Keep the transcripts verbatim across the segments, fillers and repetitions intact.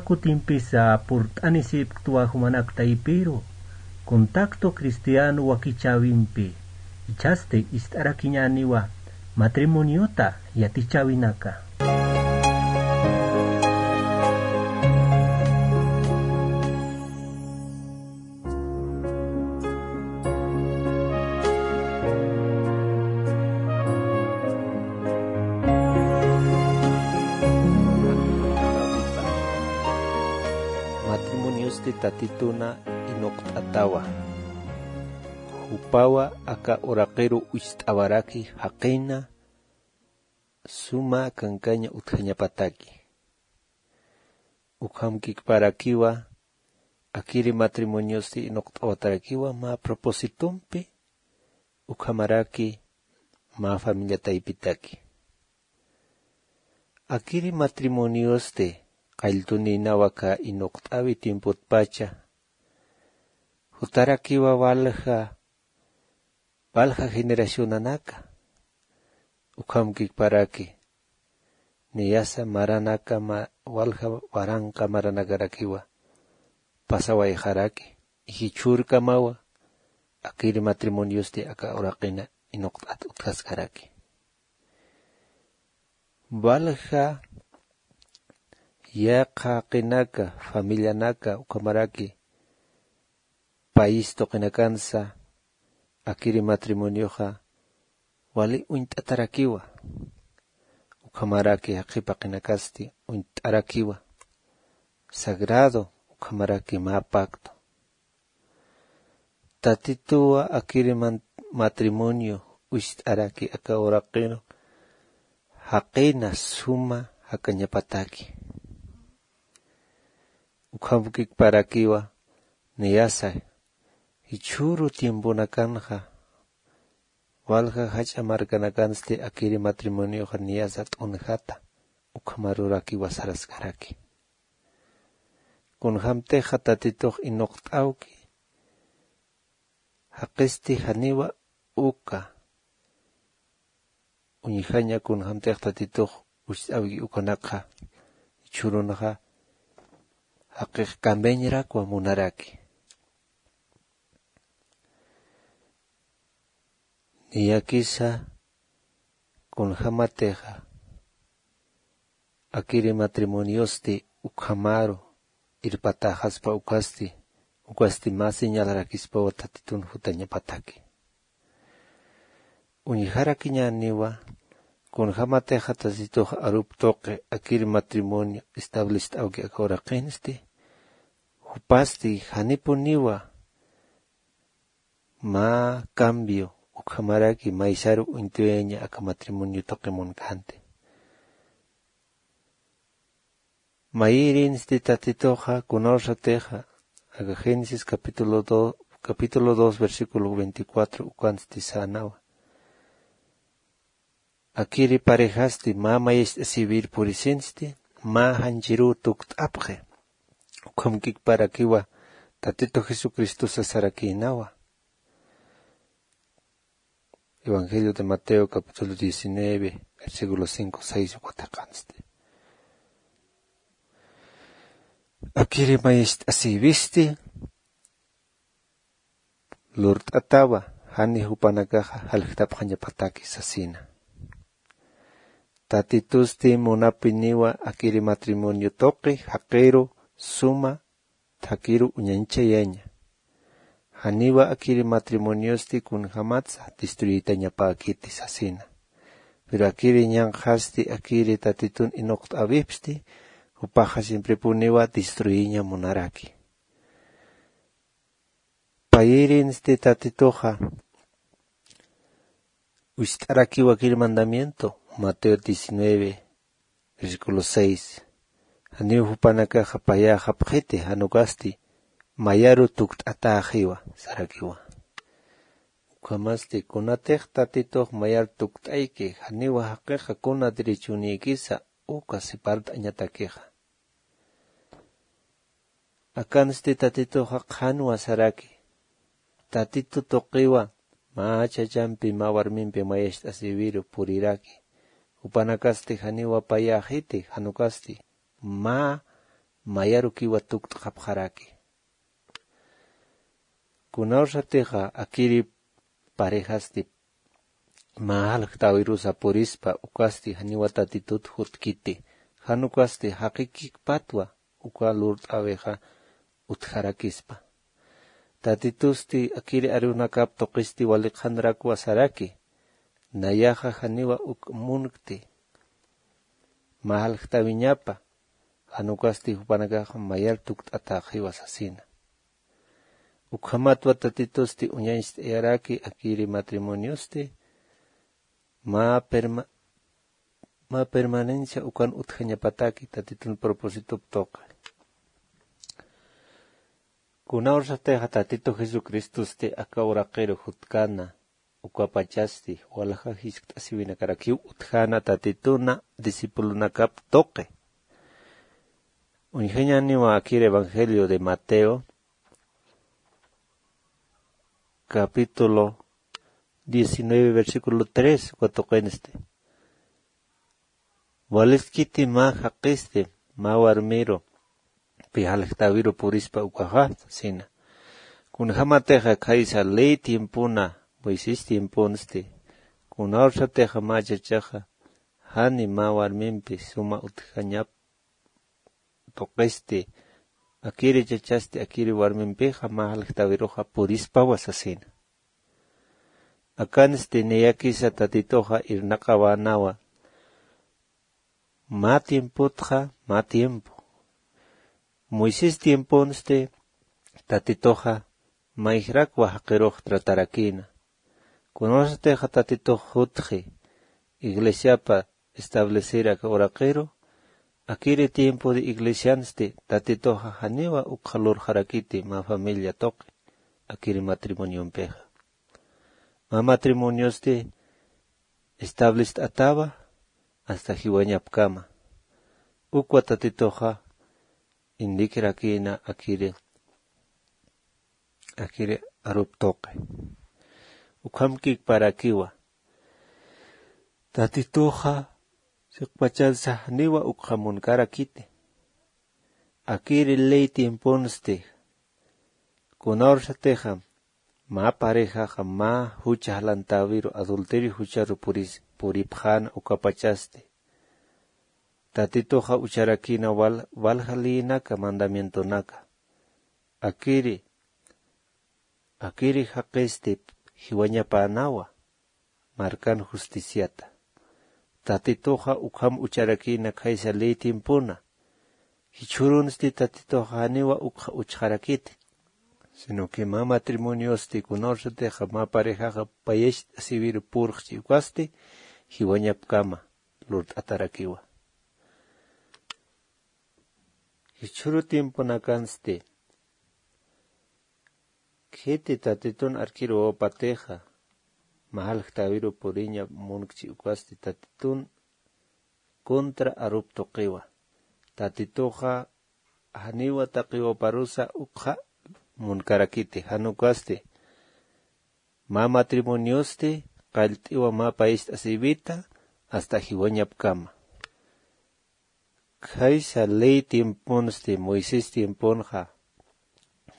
Kutimpisa purt'anisipktwa jumanak taypiru, contacto cristiano wakichäwimpi, ichhasti ist'arakiñäniwa matrimoniota yatichäwinaka. Matrimoniosti Tatituna inuqt'atawa. Jupawa aka uraqiru ucht'awaraki jaqina suma kankaña utjañapataki. Ukhamkikparakiwa, akiri matrimoniosti inuqt'awatarakiwa mä propósitompi, ukhamaraki mä familia taypitaki. Akiri matrimoniosti qalltunïnawa aka inuqt'awi tiempotpacha, jutarakiwa walja, walja generacionanaka, ukhamkikparaki, niyasa maranaka ma-, walja waranqa maranakarakiwa pasawayxaraki, jichhürkamawa akiri matrimoniosti aka uraqina inuqt'at utjaskaraki. Walja yaqha jaqinaka, familianaka, ukhamaraki país tuqinakansa, akiri matrimonioxa wali uñt'atarakiwa. Ukhamaraki jaqi paqinakasti uñt'arakiwa. Sagrado, ukhamaraki mä pacto. Tatituwa akiri man-, matrimonio ucht'araki aka uraqiru, jaqina suma jakañapataki. Ukhamkikparakiwa, niyasa, jichhüru tiemponakanxa, walja jach'a markanakansti akiri matrimonioxa niyasa t'unjata, ukhamarurakiwa saraskaraki. Kunjamtixa Tatitux inuqt'awki, jaqisti janiwa uka, uñjaña kunjamtix Tatitux ucht'awki ukanakxa, jichhürunxa, jaqix cambiañarakwa munaraki. Niyakisa kunjamatixa, akiri matrimoniosti ukhamaru irpatäxaspa ukasti, ukasti mä señalarakispawa Tatitun jutañapataki. Uñjarakiñäniwa, kunjamatixa Tatitux arup tuqi akiri matrimonio establest'awki aka uraqinsti, jupasti janipuniwa mä cambio ukhamaraki maysaru uñtuyaña aka matrimonio tuqi munkhanti. Mayirinsti Tatituxa, kunawsatixa, aka Génesis capítulo dos, capítulo dos, versículo veinticuatro, ukansti sänawa. Akiri parejasti mä mayacht'asïwir purisinsti, mä janchiruw tukt'apxi. Ukhamkikparakiwa Tatitu Jesucristo sasarakïnawa. Evangelio de Mateo, capítulo diecinueve, versículo cinco, seis, uka thiqhansti. Akiri mayacht'asïwisti, lurt'atawa, jani jupanakaxa jaljtapxañapataki sasina. Tatitusti munapiniwa akiri matrimonio tuqi jaqiru suma thakiru uñañchayaña. Janiwa akiri matrimoniosti kunjamatsa destruyitañapäkiti sasina. Pero akiri ñanqhasti akiri Tatitun inuqt'äwipsti, jupaxa siemprepuniwa destruyiña munaraki. Payirinsti Tatituxa, ucht'arakiwa akiri mandamiento, Mateo diecinueve, versículo seis. Janiw jupanakaxa payäxapxiti, jan ukasti mayaru tukt'atäxiwa, sarakiwa. Ukhamasti kunatix Tatitux mayar tukt'ayki, janiwa jaqixa kuna derechonïkisa, uka sipart'añatakixa. Akansti Tatituxa qhanwa saraki. Tatitu tuqiwa mä chachampi, mä warmimpi mayacht'asïwiru puriraki. Jupanakasti janiwa payäxiti, jan ukasti mä mayarukiwa tukt'xapxaraki. Kunawsatixa akiri parejasti mä jalktawirusa purispa ukasti janiwa tatitut jutkiti. Jan ukasti jaqikikpatwa uka lurt'awixa utjarakispa. Tatitusti akiri arunakap tuqisti wali qhanrakwa saraki. Nayaxa janiwa uk munkti mä jalktawiñapa. Jan ukasti jupanakaxa mayar tukt'atäxiwa sasina. Ukhamatwa tatitusti uñañcht'ayaraki akiri matrimoniosti mä perma mä permanencia ukan utjañapataki tatitun propositop tuqi. Kunawsatixa tatitu jesucristosti aka uraqiru jutkana ukapachasti walja jiskt'asiwinakarakiw utjana tatituna discipulunakap tuqi. Uñjañaniwa akir evangelio de mateo capítulo diecinueve versículo tres uka tuqinsti. Waliskiti mä jaqisti mä warmiru pi jalktawiru purispa ukaxa sasina. Kunjämatixa khaysa ley tiempona moisés tiemponsti kunawsatixa mä chachaxa jani mä warmimpi suma utjañap tuqisti akiri chachasti akiri warmimpixa mä jalktawiruxa purispawa sasina. Akansti niyakisa tatituxa irnaqawänawa mä tiempotxa mä tiempo. Moisés tiemponsti tatituxa mayjrakwa jaqirux tratarakïna. Kunawsatixa tatitux jutxi iglesiapa establecer aka uraqiru akiri tiempo de iglesiansti tatituxa janiwa ukxa lurxarakiti mä familia tuqi akiri matrimoniompixa. Mä matrimoniosti establist'atawa hasta jiwañapkama. Ukwa tatituxa indikirakïna akiri akiri arup tuqi. Ukhamkikparakiwa tatituxa siqpachansa janiwa ukxa munkarakiti. Akiri ley tiemponsti kunawsatixa mä parejaxa mä jucha jalantäwiru adulterio jucharu puripxäna ukapachasti tatituxa ucharakïna walja leyinaka mandamientonaka. Akiri akiri jaqisti jiwañapänawa markan justiciata. Tatituxa ukham ucharakïna khaysa ley tiempona. Jichhürunsti tatituxa janiwa ukxa uchxarakiti sino que mä matrimoniosti kunawsatixa mä parejaxa payacht'asiwiru purxchi ukasti jiwañapkama lurt'atarakiwa. Jichhüru tiemponakansti khiti tatitun arkiruwapatixa mä jalktäwiru puriña munkchi ukasti tatitun contra arup tuqiwa. Tatituxa janiwa taqiwaparusa ukxa munkarakiti jan ukasti mä matrimoniosti qallt'iwa mä payacht'asiwita hasta jiwañapkama. Khaysa ley tiemponsti moisés tiemponxa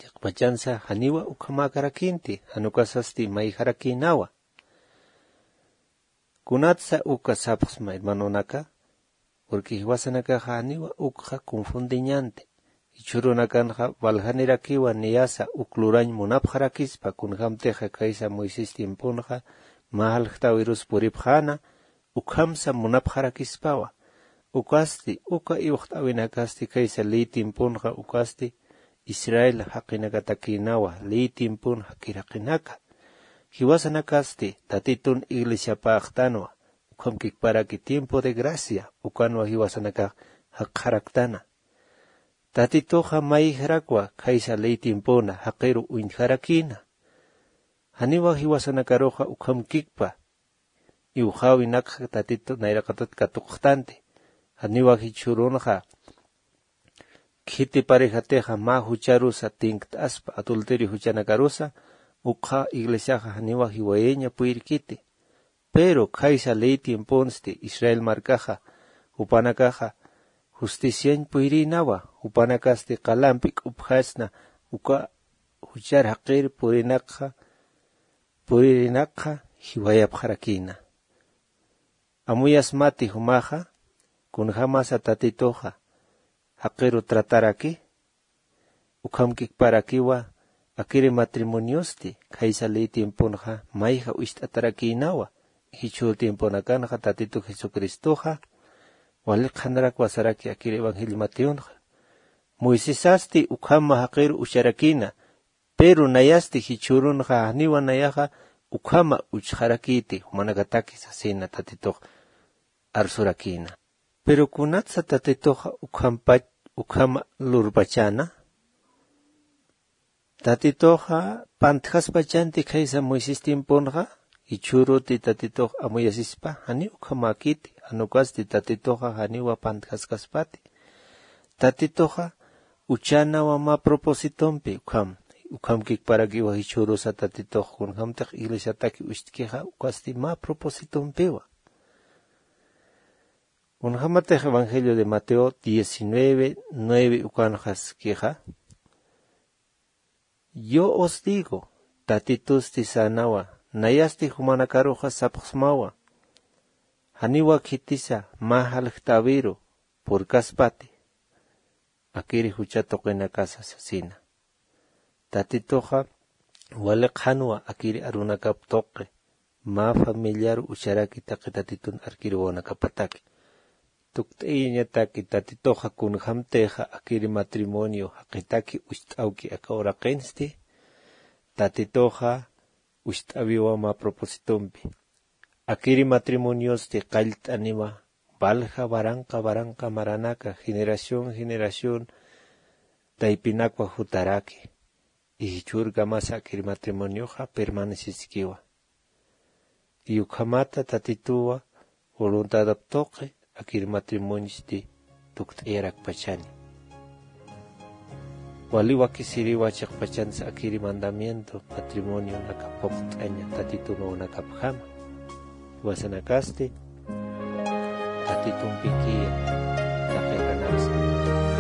chiqpachansa janiwa ukhamäkarakïnti jan ukasasti mayjarakïnawa. Kunatsa uka sapxsma hermanonaka? Porque jiwasanakaxa janiwa ukxa confundiñanti. Jichhürunakanxa waljanirakiwa niyasa uk lurañ munapxarakispa kunjämtixa khaysa moisés tiemponxa mä jaljtawirus puripxäna ukhamsa munapxarakispawa. Ukasti uka iwxt'äwinakasti khaysa ley tiemponxa ukasti israel jaqinakatakïnawa ley tiempon jakiraqinaka. Jiwasanakasti tatitun iglesiapäxtanwa. Ukhamkikparaki tiempo de gracia ukanwa jiwasanakax jakxaraktana. Tatituxa mayjrakwa khaysa ley tiempona jaqiru uñjarakïna. Janiwa jiwasanakaruxa ukhamkikpa iwxäwinakxa tatitu nayraqatat katuqxtanti. Janiwa jichhürunxa khiti parejatixa mä jucharusa tinkt'aspa adulterio juchanakarusa ukxa iglesiaxa janiwa jiwayaña puyrkiti. Pero khaysa ley tiemponsti israel markaxa jupanakaxa justiciañ puyrïnawa, jupanakasti qalampi k'upjasna uka juchar jaqir purinakxa, puririnakxa jiwayapxarakïna. Amuyasmati jumaxa, kunjämasa Tatituxa jaqiru trataraki, ukham kikparakiwa, akiri matrimoniosti, khaysa ley tiemponxa mayja ucht'atarakïnawa, jichhür tiemponakanxa Tatitu Jesucristoxa wali qhanarak wasaraki akiri Evangelio Mateonxa. Moisesasti ukhama jaqiru ucharakïna, pero nayasti jichhürunxa janiwa nayaxa ukhama uchxarakïti, jumanakataki sasina Tatitux arsurakïna. Pero kunatsa Tatituxa ukhampach-, ukhama lurpachäna? Tatituxa pantjaspachanti khaysa Moisés tiemponxa, jichhüruti Tatitux amuyasispa, janiw ukhamäkiti, jan ukasti Tatituxa janiwa pantjaskaspati. Tatituxa uchänawa mä propósitompi, ukham, ukham kikparakiwa jichhürusa Tatitux, kunjämtix iglesiataki ucht'kixa, ukasti mä propósitompiwa. Kunjämatix Evangelio de Mateo diecinueve nueve ukanxaskixa, yo os digo, Tatitusti sänawa, nayasti jumanakaruxa sapxsmawa, janiwa khitisa mä jaljt'äwiru purkaspati, akiri jucha tuqinakasa sasina. Tatituxa wali qhanwa akiri arunakap tuqi, mä familiar ucharaki taqi Tatitun arkir wawanakapataki. Tukt'ayañataki Tatituxa kunjämtixa akiri matrimonio jaqitaki ucht'awki aka uraqinsti, Tatituxa ucht'äwiwa mä propósitompi. Akiri matrimoniosti qallt'aniwa, walja waranqa waranqa maranaka, generación generación taypinakwa jutaraki. Y jichhürkamasa akiri matrimonioxa permanecesikiwa. Y ukhamata Tatituwa voluntadap tuqi akiri matrimoniosti tukt'ayarakpachani. Wali wakisiriwa chiqpachansa akiri mandamiento matrimonionaka phuqt'aña Tatitun wawanakapjama. Jiwasanakasti Tatitumpikiya taqi janaksa.